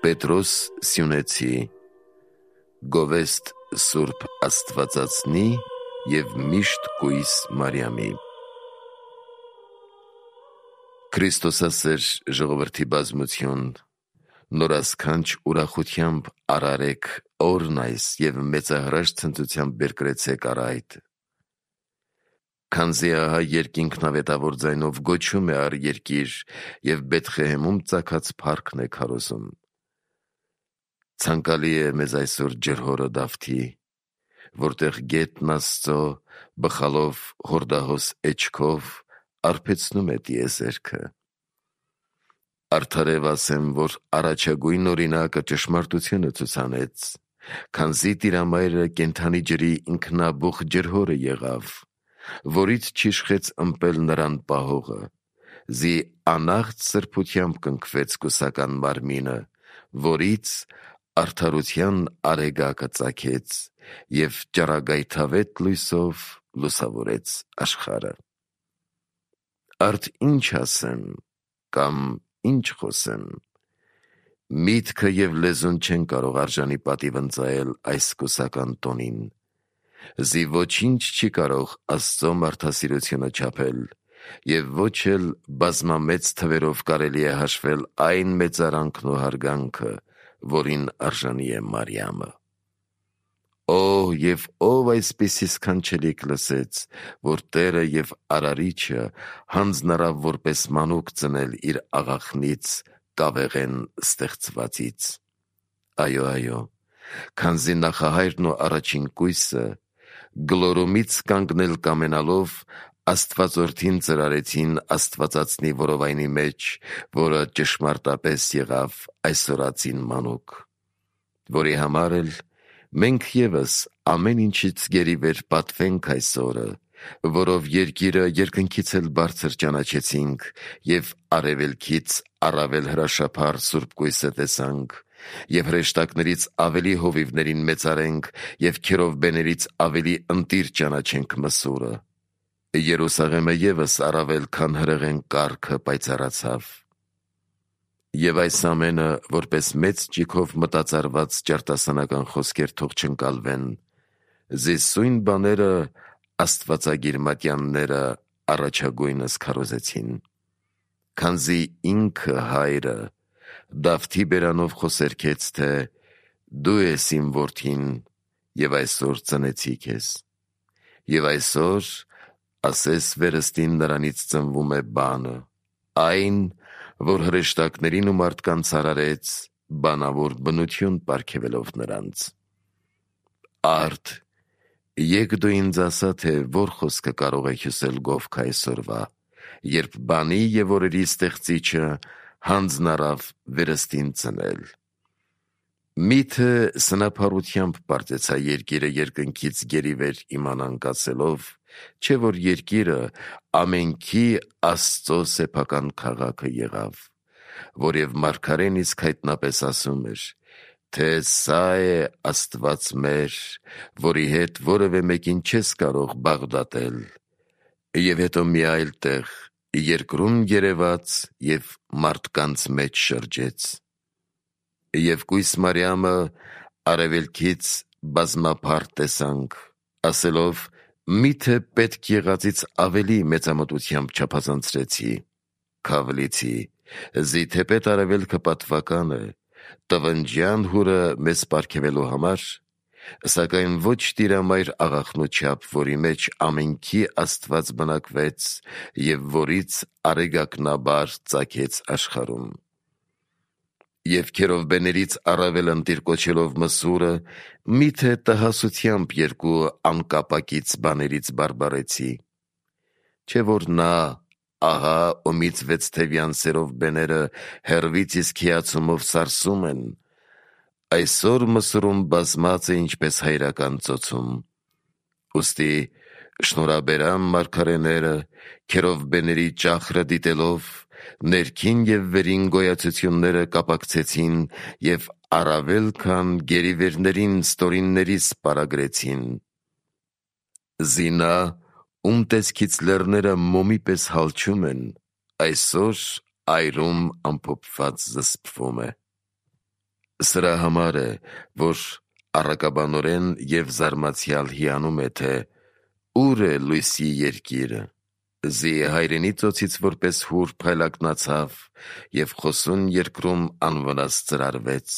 Պետրոս Սյունեցի Գովեստ Սուրբ Աստվածածնի և միշտ կույս Մարիամի Քրիստոսասեր ժողովրդի բազմություն, նորասքանչ ուրախությամբ արարեք օրն այս և մեծահրաշ ցնծությամբ բերկրեցեք առ այդ. Քանզի ահա երկինքն ավետավոր ձայնով գոչում է առ երկիր և Բեթխեհեմում ծագած փառքն է քարոզում. Ցանկալի է մեզ այսօր ջրհորը Դավթի, որտեղ գետն Աստծո բխալով հորդահոս էջքով արբեցնում է տիեզերքը. Արդարև ասեմ, որ առաջագույն օրինակը ճշմարտությունը ցուցանեց, քանզի Տիրամայրը կենդանի ջրի ինքնաբուխ ջրհորը եղավ, որից չիշխեց ըմպել նրան պահողը, զի անաղտ սրբությամբ կնքվեց կուսական մարմինը, որից արդարության արեգակը ծագեց և ճառագայթավետ լույսով լուսավորեց աշխարհը. Արդ ինչ ասեմ, կամ ինչ խոսեմ, միտքը և լեզուն չեն կարող արժանի պատիվ ընծայել այս կուսական տոնին, զի ոչինչ չի կարող Աստծո մարդասիրությունը չափել, և ոչ էլ բազմամեծ թվերով կարելի է հաշվել այն մեծարանքն ու հարգանքը, որին արժանի է Մարիամը: Օ, և ով այսպիսի սքանչելիք լսեց, որ Տերը և Արարիչը հանձնարավ որպես մանուկ ծնել իր աղախնից կավեղեն ստեղծվածից: Այո, քանզի նախահայրն ու առաջին կույսը գլորումից կանգնել կամենալով Աստվածորդին ծրարեցին Աստվածածնի որովայնի մեջ, որը ճշմարտապես եղավ այսօրածին մանուկ, որի համար էլ մենք ևս ամեն ինչից գերիվեր պատվենք այս օրը, որով երկիրը երկնքից էլ բարձր ճանաչեցինք և արևելքից առավել հրաշափառ սուրբ կույսը տեսանք, և հրեշտակներից ավելի հովիվներին մեծարենք և քերովբեներից ավելի ընտիր ճանաչենք Մսուրը: Երուսաղեմը ևս առավել քան հրեղեն կառքը պայծառացավ: Եվ այս ամենը որպես մեծ ճիգով մտածարված ճարտասանական խոսքեր թող չընկալվեն, զի սույն բաները աստվածագիր մատյանները առաջագույնս քարոզեցին: Քանզի ինքը Հայրը Դավթի բերանով խոսերքեց, թե «Դու ես իմ որդին, և այսօր ծնեցի քեզ», և այսօր ասես վերստին նրանից ծնվում է բանը, այն, որ հրեշտակներին ու մարդկանց արարեց, բանավոր բնություն պարգևելով նրանց: Արդ, եկ դու ինձ ասա, թե որ խոսքը կարող է հյուսել գովքը այսօրվա, երբ բանի և օրերի ստեղծիչը հանձնարավ վերստին ծնել: Միթե սնափառությամբ պարծեցա երկիրը երկնքից գերիվեր իմանանք ասելով, չէ՞ որ երկիրը ամենքի Աստծո սեփական քաղաքը եղավ, որև մարգարեն իսկ հայտնապես ասում էր, թե «Սա է Աստված մեր, որի հետ որևէ մեկին չես կարող բաղդատել», և հետո մի այլ տեղ. «Երկրում երևաց և մարդկանց մեջ շրջեց»: Եվ կույս Մարիամը արևելքից բազմափառ տեսանք, ասելով. «Միթե պետք եղածից ավելի մեծամտությամբ չափազանցրեցի, քավլիցի, զի թեպետ արևելքը պատվական է, տվնջյան հուրը մեզ պարգևելու համար, սակայն ոչ Տիրամայր աղախնու չափ, որի մեջ ամենքի Աստված բնակվեց և որից արեգակնաբար ծագեց աշխարհում: Եվ քերովբեներից առավել ընտիր կոչելով Մսուրը, միթե տհասությամբ երկու անկապակից բաներից բարբառեցի: Չէ՞ որ նա, ահա ումից վեցթևյան սերովբեները հեռվից իսկ հիացումով սարսում են, այսօր Մսուրում բազմած է ինչպես հայրական ծոցում: Ուստի շնորհաբերան մարգարեները քերովբեների ճախրը դիտելով, ներքին և վերին գոյացությունները կապակցեցին և առավել քան գերիվերներին ստորիններիս պարագրեցին: Զի նա, ում տեսքից լեռները մոմի պես հալչում են, այսօր այրում ամփոփված զսպվում է: Սրա համար է, որ առակաբանորեն և զարմացյալ հիանում է, թե ուր է լույսի երկիրը, զի հայրենի ծոցից որպես հուր փայլակնացավ և խոսուն երկրում անվնաս ծրարվեց,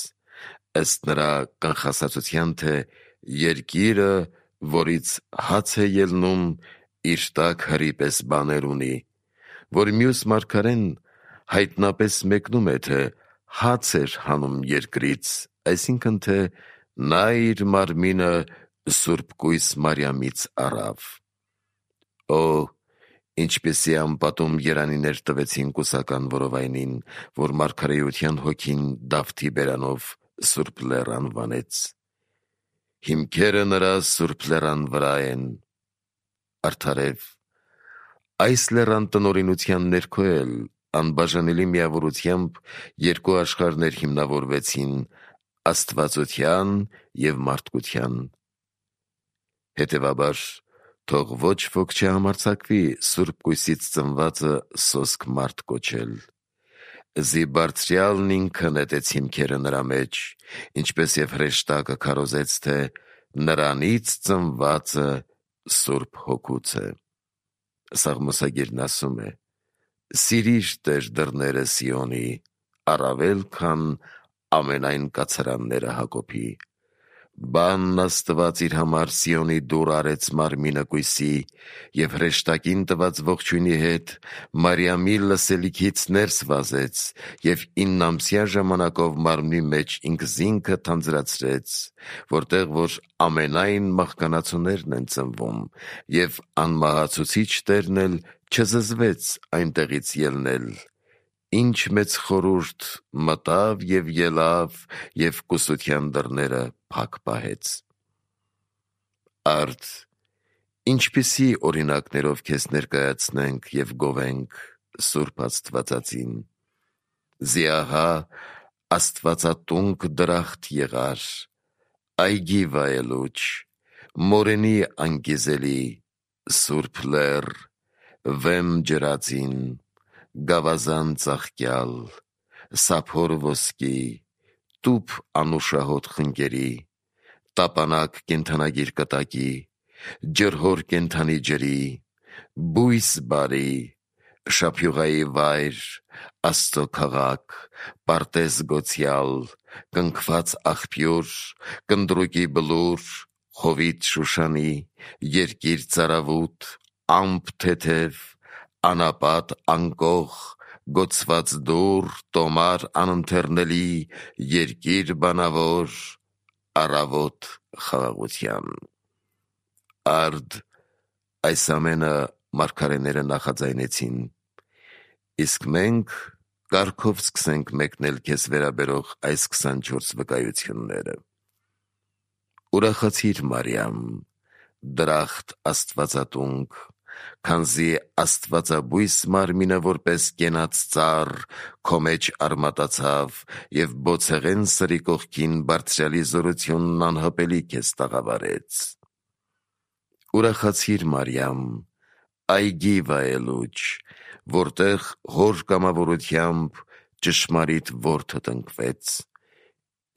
ըստ նրա կանխասացության, թե երկիրը, որից հաց է ելնում, իր տակ հրի պես բաներ ունի, որ մյուս մարգարեն հայտնապես մեկնում է, թե հաց էր հանում երկրից, այսինքն, թե նա իր մարմինը Սուրբ Կույս Մարիամից առավ։ Օ, ինչպիսի անպատում երանիներ տվեցին կուսական որովայնին, որ մարգարեության հոգին Դավթի բերանով Սուրբ Լեռ անվանեց։ Հիմքերը նրա Սուրբ Լեռան վրա են։ Արդարև, այս լեռան տնօրինության ներքո էլ անբաժանելի միավորությամբ երկու աշխարհներ հիմնավորվեցին՝ աստվածության և մարդկության։ Հետևաբար, թող ոչ ոք չհամարձակվի Սուրբ Կույսից ծնվածը սոսկ մարդ կոչել։ Զի Բարձրյալն ինքը նետեց հիմքերը նրա մեջ, ինչպես և հրեշտակը քարոզեց, թե նրանից ծնվածը Սուրբ Հոգուց է։ Սաղմոսագիրն ասում է. «Սիրիր Տեր դռները Սիոնի, առավել քան ամենայն կացարանները Հակոբի»։ Բանն Աստված իր համար Սիոնի դուռ արեց մարմինը կույսի և հրեշտակին տված ողջույնի հետ Մարիամի լսելիքից ներս վազեց և 9-ամսյա ժամանակով մարմնի մեջ ինքզինքը թանձրացրեց, որտեղ որ ամենայն մահկանացուներն են ծնվում, և անմահացուցիչ Տերն էլ չզզվեց այնտեղից ելնել, ինչ մեծ խորհուրդ մտավ և ելավ և կուսության դռները փակ պահեց։ Արդ, ինչպիսի օրինակներով քեզ ներկայացնենք և գովենք Սուրբ Աստվածածին։ Զի ահա աստվածատունկ դրախտ եղար, այգի վայելուչ, մորենի անկիզելի, Սուրբ Լեռ, վեմ ջրածին, գավազան ծաղկյալ, սափոր ոսկի, տուփ անուշահոտ խնկերի, տապանակ կենդանագիր կտակի, ջրհոր կենդանի ջրի, բույս բարի, շափյուղայի վայր, Աստծո քաղաք, պարտեզ գոցյալ, կնքված աղբյուր, կնդրուկի բլուր, Հովիտ Շուշանի, երկիր ծարավուտ, ամպ թեթև, անապատ անկող, գոցված դուռ, տոմար անընթեռնելի, երկիր բանավոր, առավոտ խաղաղության։ Արդ, այս ամենը մարգարեները նախաձայնեցին, իսկ մենք կարգով սկսենք մեկնել քեզ վերաբերող այս 24 վկայությունները։ Ուրախացիր Մարիամ, դրախտ աստվածատունկ, քանզի աստվածաբույս մարմինը որպես կենաց ծառ քո մեջ արմատացավ և բոցեղեն սրի կողքին Բարձրյալի զորությունն անհպելի քեզ տաղավարեց։ Ուրախացիր Մարիամ, այգի վայելուչ, որտեղ հոր կամավորությամբ ճշմարիտ որդդ ընկվեց։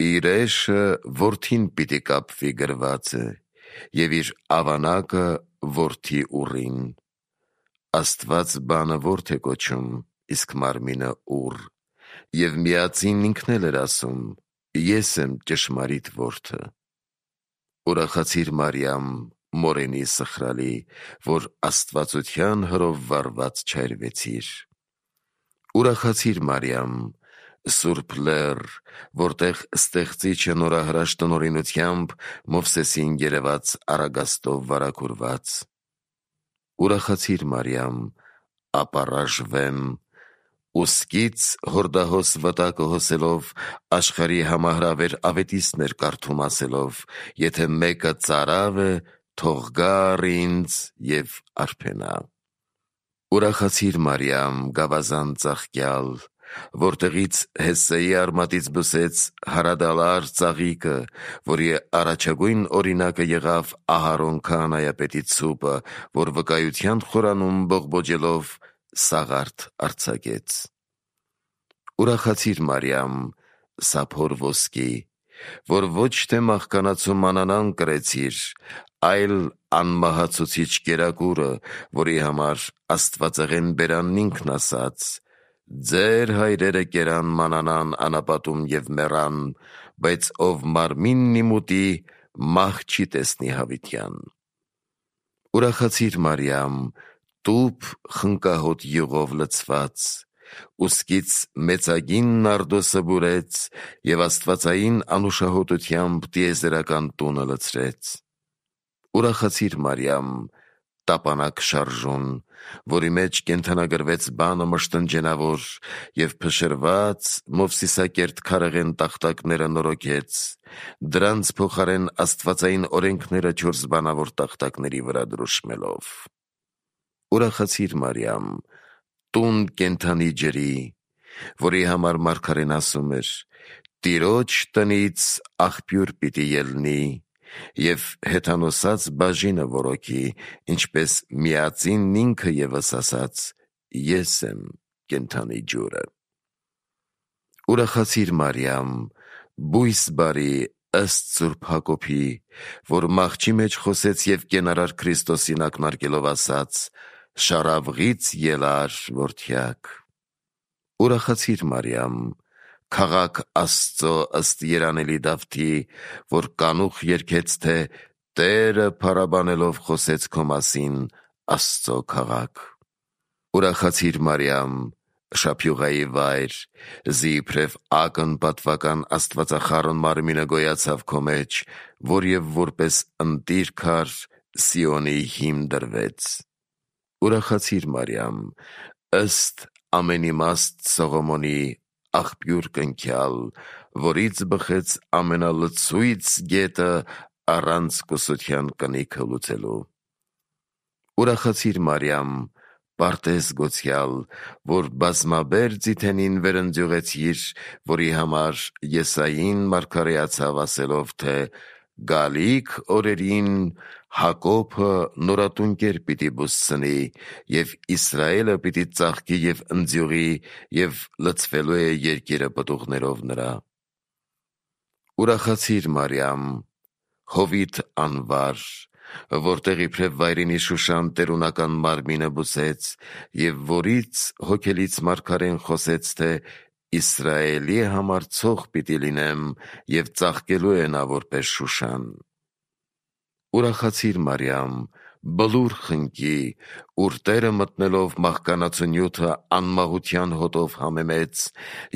Իր էշը որդին պիտի կապվի գրված է, և իր ավանակը որդի ուռին։ Աստված բանը որդի է կոչում, իսկ մարմինը ուռ, և միածին ինքն էլ էր ասում. ես եմ ճշմարիտ որդը։ Ուրախացիր Մարիամ, մորենի սխրալի, որ աստվածության հրով վարված չայրվեցիր։ Ուրախացիր Մարիամ, Սուրբ Լեռ, որտեղ Ստեղծիչը նորահրաշ տնօրինությամբ Մովսեսին երևաց Արագաստով վարագուրված։ Ուրախացիր Մարիամ, ապառաժ վեմ, ուսկից հորդահոս վտակը հոսելով աշխարհի համահրավեր ավետիցներ կարդում ասելով. եթե մեկը ծարավ է, թող գա առ ինձ և արբենա։ Ուրախացիր Մարիամ, գավազան ծաղկյալ, որտեղից Հեսսեի արմատից բսեց հարադալար ծաղիկը, որի առաջագույն օրինակը եղավ Ահարոն քահանայապետի ցուպը, որ վկայության խորանում բողբոջելով սաղարթ արձակեց։ Ուրախացիր Մարիամ, սափոր ոսկի, որ ոչ թե մահկանացու մանանան կրեցիր, այլ անմահացուցիչ կերակուրը, որի համար Աստվածեղեն բերանն ինքն ասաց. «Ձեր հայրերը կերան մանանան անապատում և մեռան, բայց ով մարմինն իմ ուտի, մահ չի տեսնի հավիտյան»։ Ուրախացիր Մարիամ, տուփ խնկահոտ յուղով լցված, ուսկից մեծագին նարդոսը բուրեց և աստվածային անուշահոտությամբ տիեզերական տունը լցրեց։ Ուրախացիր Մարիամ, տապանակ շարժուն, որի մեջ կենդանագրվեց բանը մշտնջենավոր և փշրված Մովսիսակերտ քարեղեն տախտակները նորոգեց, դրանց փոխարեն աստվածային օրենքները 4 բանավոր տախտակների վրա դրոշմելով։ Ուրախացիր Մարիամ, տուն կենդանի ջրի, որի համար մարգարեն ասում էր. «Տիրոջ տնից աղբյուր պիտի ելնի և հեթանոսած բաժինը որոքի, ինչպես միածինն ինքը ևս ասաց. ես եմ կենդանի ջուրը»։ Ուրախացիր Մարիամ, բույս բարի ըստ Սուրբ Հակոբի, որ մահճի մեջ խոսեց և կենարար Քրիստոսին ակնարկելով ասաց. «Շարավղից ելար որդյակ»։ Ուրախացիր Մարիամ, քաղաք Աստծո ըստ երանելի Դավթի, որ կանուխ երգեց, թե «Տերը փառաբանելով խոսեց քո մասին, Աստծո քաղաք»։ Ուրախացիր Մարիամ, շափյուղայի վայր, զի իբրև ակն պատվական աստվածախառն մարմինը գոյացավ քո մեջ, որ և որպես ընտիր քար Սիոնի հիմ դրվեց։ Ուրախացիր Մարիամ, ըստ ամենիմաստ Սողոմոնի, աղբյուր կնքյալ, որից բխեց ամենալցույց գետը առանց կուսության կնիքը լուծելու։ Ուրախացիր Մարիամ, Պարտեզ գոցյալ, որ բազմաբեր ձիթենին վերընձյուղեցիր, որի համար Եսային մարգարեացավ ասելով, թե «Գալիք օրերին Հակոբը նորատունկեր պիտի բուսցնի, և Իսրայելը պիտի ծաղկի և ընձյուղի, և լցվելու է երկիրը պտուղներով նրա»։ Ուրախացիր Մարիամ, Հովիտ անվար, որտեղ իբրև վայրենի Շուշան տերունական մարմինը բուծեց, և որից հոգելից մարգարեն խոսեց, թե «Իսրայելի համար ցող պիտի լինեմ, և ծաղկելու է նա որպես Շուշան»։ Ուրախացիր Մարիամ, բլուր խնկի, ուր Տերը մտնելով մահկանացու նյութը անմահության հոտով համեմեց,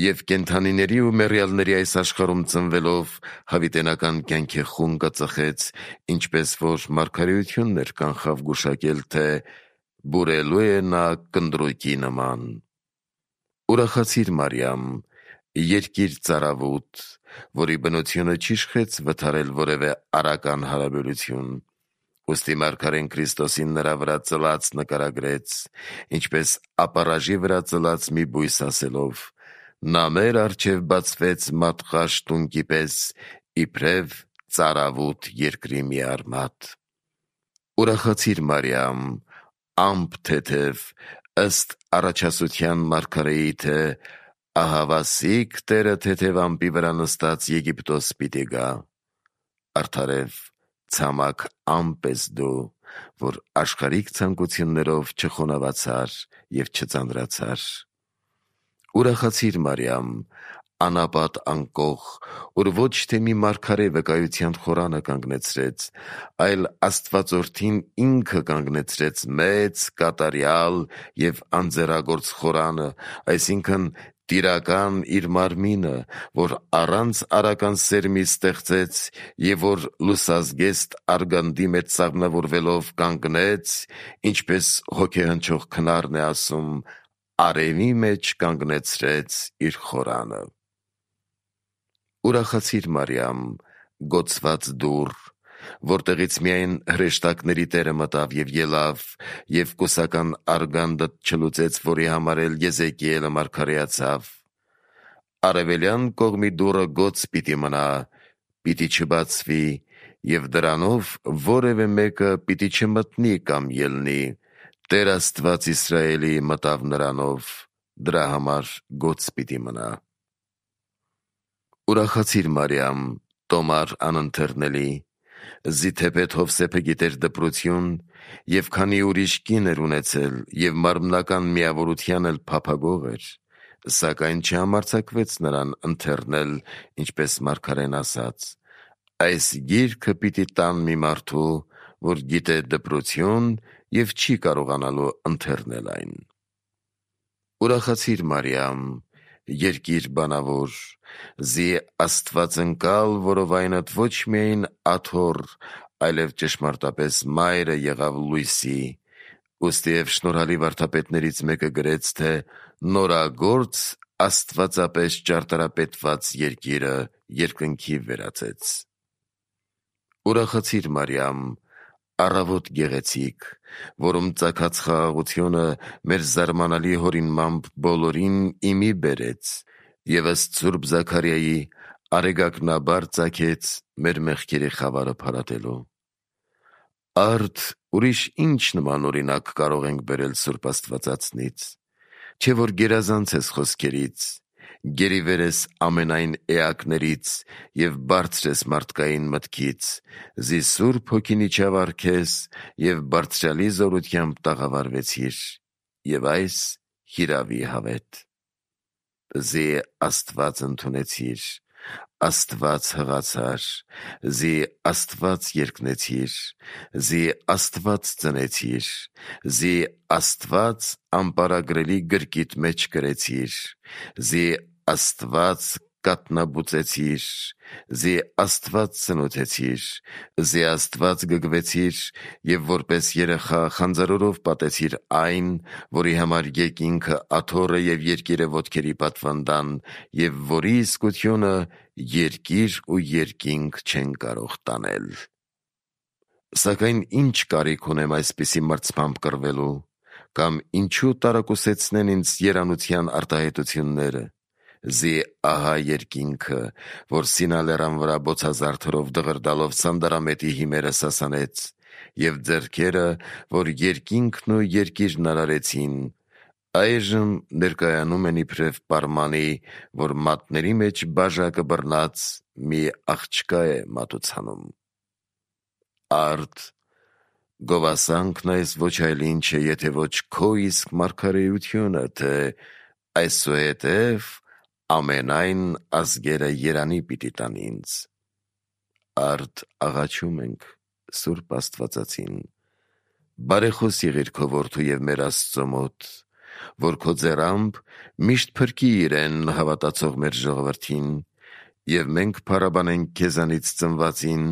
և կենդանիների ու մեռյալների այս աշխարհում ծնվելով հավիտենական կյանքի խունկը ծխեց, ինչպես որ մարգարեություններ կանխավ գուշակել, թե բուրելու է նա կնդրուկի նման։ Ուրախացիր Մարիամ, երկիր ծարավուտ, որի բնությունը չիշխեց վթարել որևէ արական հարաբերություն, ուստի մարգարեն Քրիստոսին նրա վրա ծլած նկարագրեց, ինչպես ապառաժի վրա ծլած մի բույս ասելով. «Նա մեր առջև բացվեց մատղաշ տունկի պես, իբրև ծարավուտ երկրի մի արմատ»։ Ուրախացիր Մարիամ, ամպ թեթև, ըստ առաջասության մարգարեի, թե «Ահավասիկ Տերը թեթև ամպի վրա նստած Եգիպտոս պիտի գա»։ Արդարև ցամաք ամպ ես դու, որ աշխարհիկ ցանկություններով չխոնավացար և չծանրացար։ Ուրախացիր Մարիամ, անապատ անկոխ, ուր ոչ թե մի մարգարե վկայության խորանը կանգնեցրեց, այլ Աստվածորդին ինքը կանգնեցրեց մեծ, կատարյալ և անձեռագործ խորանը, այսինքն տիրական իր մարմինը, որ առանց արական սերմի ստեղծեց և որ լուսազգեստ արգանդի մեջ սաղմնավորվելով կանգնեց, ինչպես հոգեհնչող քնարն է ասում. «Արևի մեջ կանգնեցրեց իր խորանը»։ Ուրախացիր Մարիամ, գոցված դուռ, որտեղից միայն հրեշտակների Տերը մտավ և ելավ, և կուսական արգանդդ չլուծեց, որի համար էլ Եզեկիելը մարգարեացավ. «Արևելյան կողմի դուռը գոց պիտի մնա, պիտի չբացվի, և դրանով որևէ մեկը պիտի չմտնի կամ ելնի. Տեր Աստված Իսրայելի մտավ նրանով, դրա համար գոց պիտի մնա»։ Ուրախացիր Մարիամ, տոմար անընթեռնելի, զիթեպետ Հովսեփը գիտեր դպրություն և քանի ուրիշ կին էր ունեցել և մարմնական միավորության էլ փափագող էր, սակայն չհամարձակվեց նրան ընթեռնել, ինչպես մարգարեն ասաց. այս գիրքը պիտի տան մի մարդու, որ գիտե դպրություն և չի կարողանալու ընթեռնել այն։ Ուրախացիր Մարիամ, երկիր բանավոր, զի Աստվածընկալ, որովայնդ ոչ միայն աթոռ, այլև ճշմարտապես մայրը եղավ լույսի, ուստիև շնորհալի վարդապետներից մեկը գրեց, թե նորագործ աստվածապես ճարտարապետված երկիրը երկնքի վերածեց։ Ուրախացիր Մարիամ, առավոտ գեղեցիկ, որում ծագած խաղաղությունը մեր զարմանալի հորինմամբ բոլորին իմի բերեց և ըստ Սուրբ Զաքարիայի արեգակնաբար ծագեց մեր մեղքերի խավարը փարատելու։ Արդ ուրիշ ինչ նման օրինակ կարող ենք բերել Սուրբ Աստվածածնից, չէ որ գերազանց ես խոսքերից, գերիվեր ես ամենայն էակներից և բարձր ես մարդկային մտքից, զի Սուրբ Հոգին իջավ առ քեզ և բարձրյալի զորությամբ տաղավարվեցիր, և այս հիրավի հավետ։ Զի Աստված ընդունեցիր, Աստված հղացար, զի Աստված երկնեցիր, զի Աստված ծնեցիր, զի Աստված անպարագրելի գրկիդ մեջ կրեցիր, զի Աստված կատնաբուծեցիր, զի Աստված սնուցեցիր, զի Աստված գգվեցիր և որպես երեխա խանձարորով պատեցիր այն, որի համար երկինքը աթոռը և երկիրը ոտքերի պատվանդան, և որի իսկությունը երկիր ու երկինք չեն կարող տանել։ Սակայն ինչ կարիք ունեմ այսպիսի մրցմամբ կռվելու, կամ ինչու տարակուսեցնեն ինձ երանության արտահայտությունները, զի ահա երկինքը, որ Սինա լեռան վրա բոցազարդերով դղրդալով սանդարամետի հիմերը սասանեց, և ձեռքերը, որ երկինքն ու երկիրն արարեցին, այժմ ներկայանում են իբրև պարմանի, որ մատների մեջ բաժակը բռնած մի աղջկա է մատուցանում։ Արդ գովասանքն այս ոչ այլ ինչ է, եթե ոչ քո իսկ մարգարեությունը, թե այսուհետև ամենայն ազգերը երանի պիտի տան ինձ։ Արդ աղաչում ենք Սուրբ Աստվածածին, բարեխոս եղիր քո որդու և մեր Աստծո մոտ, որ քո ձեռամբ միշտ փրկի իրեն հավատացող մեր ժողովրդին, և մենք փառաբանենք քեզանից ծնվածին,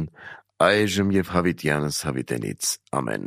այժմ և հավիտյանս հավիտենից։ Ամեն։